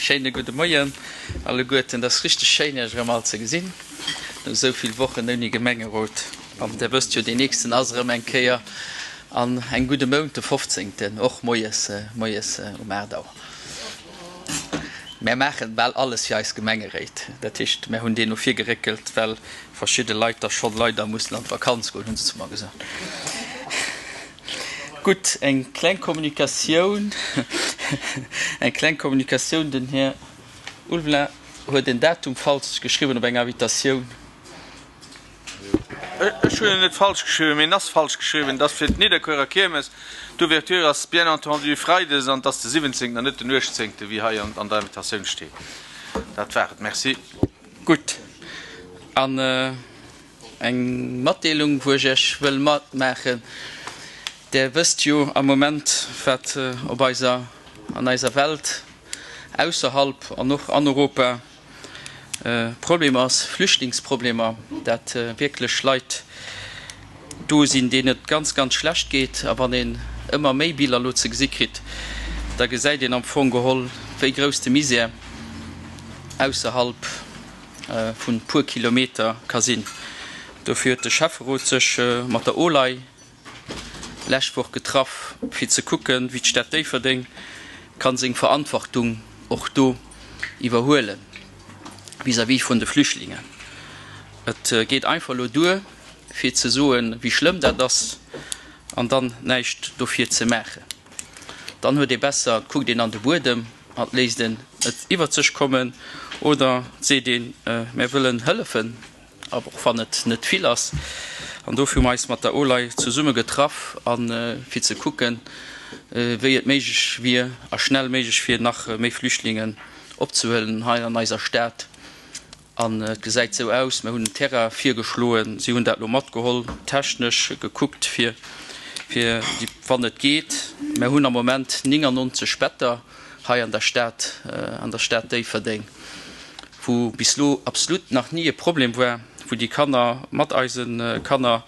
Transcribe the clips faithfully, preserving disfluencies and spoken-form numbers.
Schéine gudde Moien alleguerten. Et ass richteg schéin, Iech erëm all ze gesinn no esou vill Wochen ouni Gemengerot. An Der wësst jo, deen nächsten ass erëm eng Kéier an engem gudde Mount, de fofzéngten, och moies, moies um aacht Auer. Mär maachen bal alles fir eis Gemengeréit. Dat heescht, mär hunn deen no vir geréckelt, well verschidde Leit da schonn leider mussen an d'Vakanz goen, hu se zu mer gesot. Gutt, eng kleng Kommunikatioun, eng kleng Kommunikatioun, Den Här Ulveling huet en Datum falsch geschriwwen op enger Invitatioun. Ech hunn en net falsch geschriwwen, mee en ass falsch geschriwwen. Et ass fir d'Nidderkuerer Kiermes. D'Ouverture ass bien entendu freides an et ass de siwwenzéngten an net den uechtzéngten, wéi hei an der Invitatioun steet. Dat war et. Merci. Gutt. An eng Matdeelung, wou ech Iech wëll matmaachen. Der wësst jo am Moment, wat op eiser, an eiser Welt, ausserhalb an och an Europa Problem ass, Flüchtlingsproblemer, dat wierklech Leit do sinn, deenen et ganz, ganz schlecht geet. A wann een ëmmer méi Biller elo ze gesi kritt, da gesäit een am Fong geholl, wéi grouss de Misär ausserhalb vun puer Kilometer ka sinn. Dofir huet de Schäfferot sech mat der OLAI lescht Woch getraff, fir ze kucken, wéi d'Stad Déifferdeng ka seng Verantwortung och do iwwerhuele vis-à-vis vun de Flüchtlingen. Et geet einfach elo duer, fir ze soen, wéi schlëmm dat ass, an dann näischt dofir ze maachen. Dann huet ee besser, et kuckt een an de Buedem an et léisst een et iwwert sech kommen, oder et seet een, Mär wëllen hëllefen, och wann et net vill ass. An dofir hu mer eis mat der OLAI zesumme getraff, a fir ze kucken, wéi et méiglech wier a schnell méiglech wier, nach méi Flüchtlingen opzehuelen hei an eiser Stad. An et gesäit esou aus, mer hunn en Terrain virgeschloen, si hunn dat elo matgeholl, technesch gekuckt, fir, fir déi, wann et geet. Mer hunn am Moment néngannonzeg Better hei an der Stad, an der Stad Déifferdeng, wou bis elo absolut nach ni e Problem war, wou déi Kanner mat eise Kanner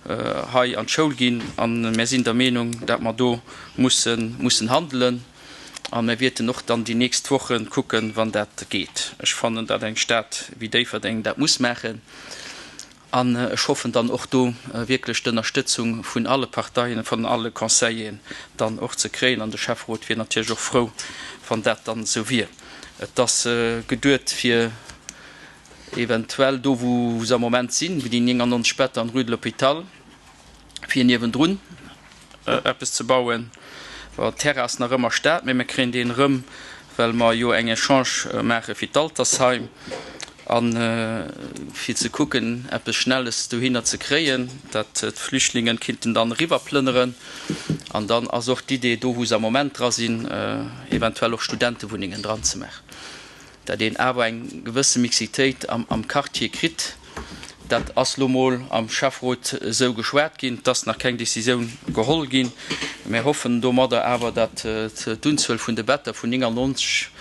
hei an d'Schoul ginn. A mir sinn der Meenung, dat mer do mussen, mussen handelen. A mir wierten och dann déi nächst Woche kucken, wann dat geet. Ech fannen, datt eng Stad wéi Déifferdeng dat muss maachen. An ech hoffen dann och do wierklech d'Ënnerstëtzung vun alle Parteien, vun alle Conseilleren dann och ze kréien. An de Schäfferot wier natierlech och frou, wann dat dann esou wier. Et ass geduet fir eventuell do, wou se am Moment sinn, wou déi néngannonzeg Better an Rue de l'Hôpital, fir niewendrun eppes ze bauen. Bon, Terrain ass nach ëmmer Stad, mee mir kréien deen erëm, well mer jo eng Echange maache fir d'Altersheim a fir ze kucken, eppes Schnelles dohinner ze kréien, dat d'Flüchtlingen kinnten dann eriwwerplënneren. An dann ass och d'Idee, do wou se am Moment dra sinn, eventuell och Studentewunnengen dran ze maachen. Dat een awer eng gewësse Mixitéit am Quartier kritt. Dat ass lo mol am Schäfferot esou geschwat ginn. Et ass nach keng Décisioun geholl ginn. Mir hoffen domadder awer, datt d'Unzuel vun de Better vun néngannonzeg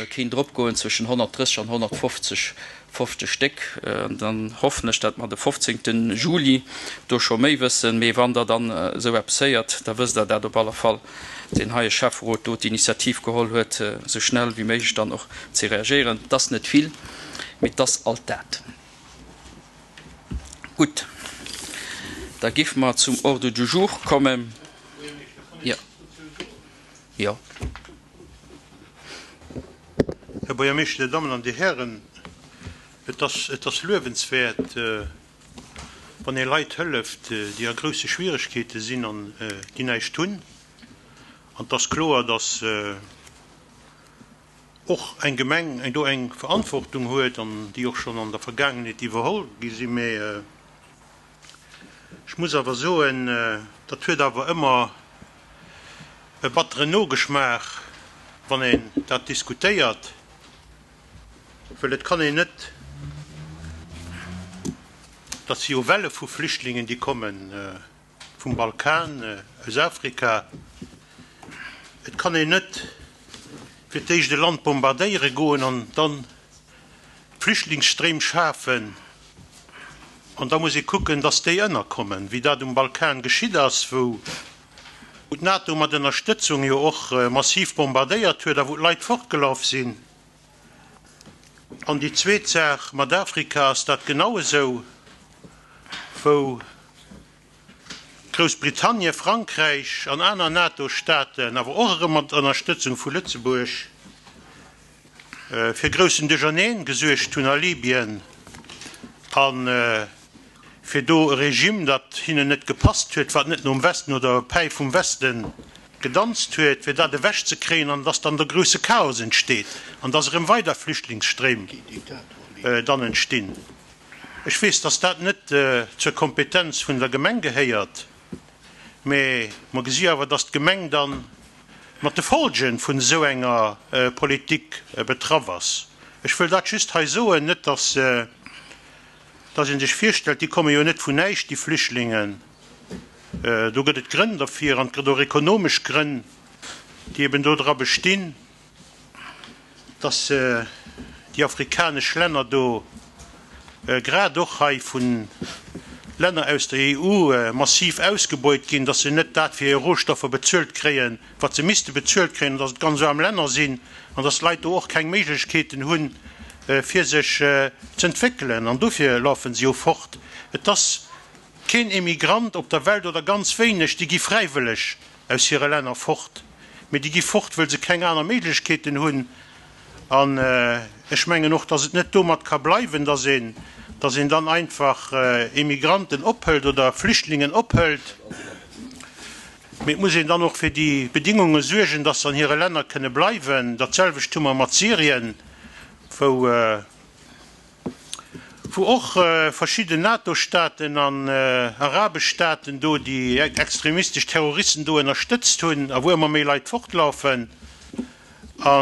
kéint eropgoen zwëschen honnertdrësseg an honnertfofzeg fofzeg Stéck. An dann hoffen ech, datt mer de fofzéngte Juli do scho méi wëssen. Mee wann Der dann esou eppes héiert, da wësst Der dat op alle Fall, deen heie Schäfferot do d'Initiativ geholl huet, esou schnell wéi méiglech dann och ze reagéieren. Et ass net vill, mee et ass alt dat. Gutt, da géife mer zum Ordre du jour kommen. Jo. Jo. Här Buergermeeschter, Dir Dammen an Dir Hären, et ass, et ass luewenswäert, wann ee Leit hëlleft, déi a grousse Schwieregkeete sinn an déi näischt hunn. An et ass kloer, dass och eng Gemeng do eng Verantwortung huet an déi och schonn an der Vergaangenheet iwwerholl gi sinn. Mä ech muss awer soen, dat huet awer ëmmer e batteren Nogeschmaach, wann een dat diskutéiert, well et kann een net, dat si jo Welle vu Flüchtlingen, déi kommen vum Balkan, aus Afrika, et kann een net fir d'éischt e Land bombardéiere goen an dann Flüchtlingsstréim schafen an da muss ee kucken, dass déi ënnerkommen, wéi dat um Balkan geschitt ass, wou wou d'NATO mat Ënnerstëtzung jo och massiv bombardéiert huet a wou d'Leit fortgelaf sinn. An déi zweet Saach, mat Afrika ass dat genau esou, wou Groussbritannien, Frankräich an aner NATO-Staaten, awer och erëm mat Ënnerstëtzung vu Lëtzebuerg, fir groussen Duercherneen gesuergt hunn a Libyen a fir do e Regime, dat hinnen net gepasst huet, wat net nom Westen oder der Päif vum Weste gedanzt huet, fir dat ewechzekréien an dass dann de grousse Chaos entsteet an dass erëm weider Flüchtlingsstréim dann entstinn. Ech weess, dass dat net zur Kompetenz vun der Gemeng gehéiert, mä mer gesi awer, dass d'Gemeng da mat de Folgen vun esou enger Politik betraff ass. Ech wëll dat just hei soen, net dass dass ee sech virstellt, déi komme jo net vun näischt, déi Flüchtlingen. Do gëtt et Grënn derfir an et gëtt och ekonomesch Grënn, déi eben dodra bestinn, dass déi afrikanesch Länner do, grad och hei vu Länner aus der E U massiv ausgebeut ginn, dass se net dat fir hir Rohstoffer bezuelt kréien, wat se misste bezuelt kréien, an dass et ganz aarm Länner sinn an dass d'Leit do och keng Méiglechkeeten hunn, fir sech z'entwéckelen. An dofir lafe se jo fort. Et ass keen Emigrant op der Welt, oder ganz wéineg, déi gi fräiwëlleg aus hire Länner fort, mee déi gi fort, wëll se keng aner Méiglechkeeten hunn. An ech mengen och, dass et net domat ka bleiwen, dass een, dass een dann einfach Emigranten ophëlt oder Flüchtlingen ophëlt, mee et muss een dann och fir déi Bedingunge suergen, dass se an hire Länner kënne bleiwen. Datselwecht hu mer mat Syrien, wou wou och verschidden NATO-Staaten an arabesch Staaten do déi extremistesch Terroristen do ënnerstëtzt hunn a wou ëmmer méi Leit fortlaufen a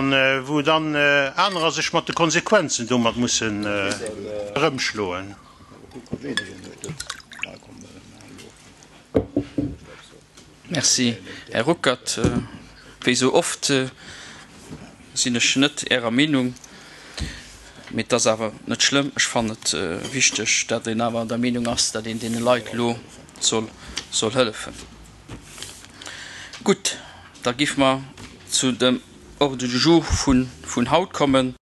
wou dann anerer sech mat de Konsequenzen domat mussen erëmschloen. Merci, Här Ruckert. Wéi esou oft sinn ech net Ärer Meenung, mee et ass awer net schlëmm. Ech fannen et wichteg, datt een awer der Meenung ass, datt een deene Leit elo soll soll hëllefen. Gutt, da géife mer zu dem Ordre du jour vun haut kommen.